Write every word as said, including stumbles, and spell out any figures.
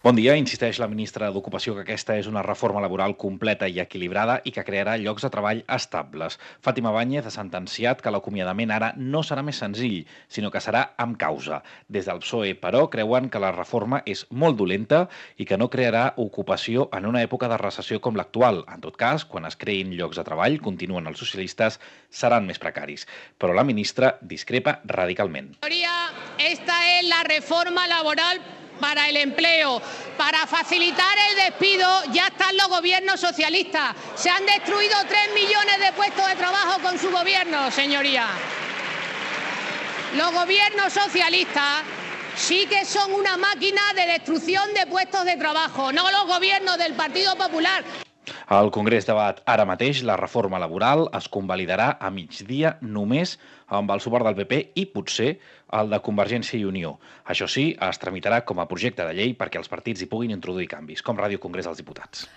Bon dia. Insisteix la ministra d'Ocupació que aquesta és una reforma laboral completa i equilibrada i que crearà llocs de treball estables. Fàtima Báñez ha sentenciat que l'acomiadament ara no serà més senzill, sinó que serà amb causa. Des del P S O E, però, creuen que la reforma és molt dolenta i que no crearà ocupació en una època de recessió com l'actual. En tot cas, quan es creïn llocs de treball, continuen els socialistes, seran més precaris. Però la ministra discrepa radicalment. Esta es la reforma laboral para el empleo. Para facilitar el despido ya están los gobiernos socialistas. Se han destruido tres millones de puestos de trabajo con su gobierno, señoría. Los gobiernos socialistas sí que son una máquina de destrucción de puestos de trabajo, no los gobiernos del Partido Popular. El Congrés debat ara mateix la reforma laboral, es convalidarà a migdia només amb el suport del P P i potser el de Convergència i Unió. Això sí, es tramitarà com a projecte de llei perquè els partits hi puguin introduir canvis, com Ràdio Congrés dels Diputats.